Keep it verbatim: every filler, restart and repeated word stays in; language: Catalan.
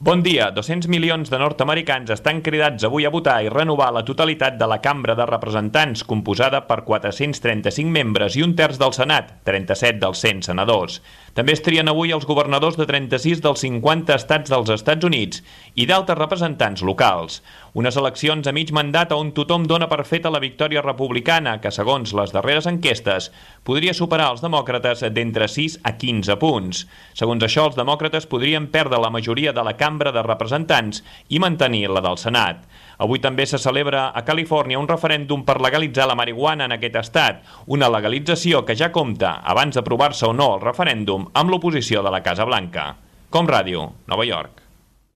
Bon dia. dos-cents milions de nord-americans estan cridats avui a votar i renovar la totalitat de la Cambra de Representants, composada per quatre-cents trenta-cinc membres i un terç del Senat, trenta-set dels cent senadors. També es trien avui els governadors de trenta-sis dels cinquanta estats dels Estats Units i d'altres representants locals. Unes eleccions a mig mandat on tothom dona per feta la victòria republicana, que segons les darreres enquestes podria superar els demòcrates d'entre sis a quinze punts. Segons això, els demòcrates podrien perdre la majoria de la Cambra de Representants i mantenir la del Senat. Avui també se celebra a Califòrnia un referèndum per legalitzar la marihuana en aquest estat, una legalització que ja compta, abans d'aprovar-se o no el referèndum, amb l'oposició de la Casa Blanca. Com Ràdio, Nova York.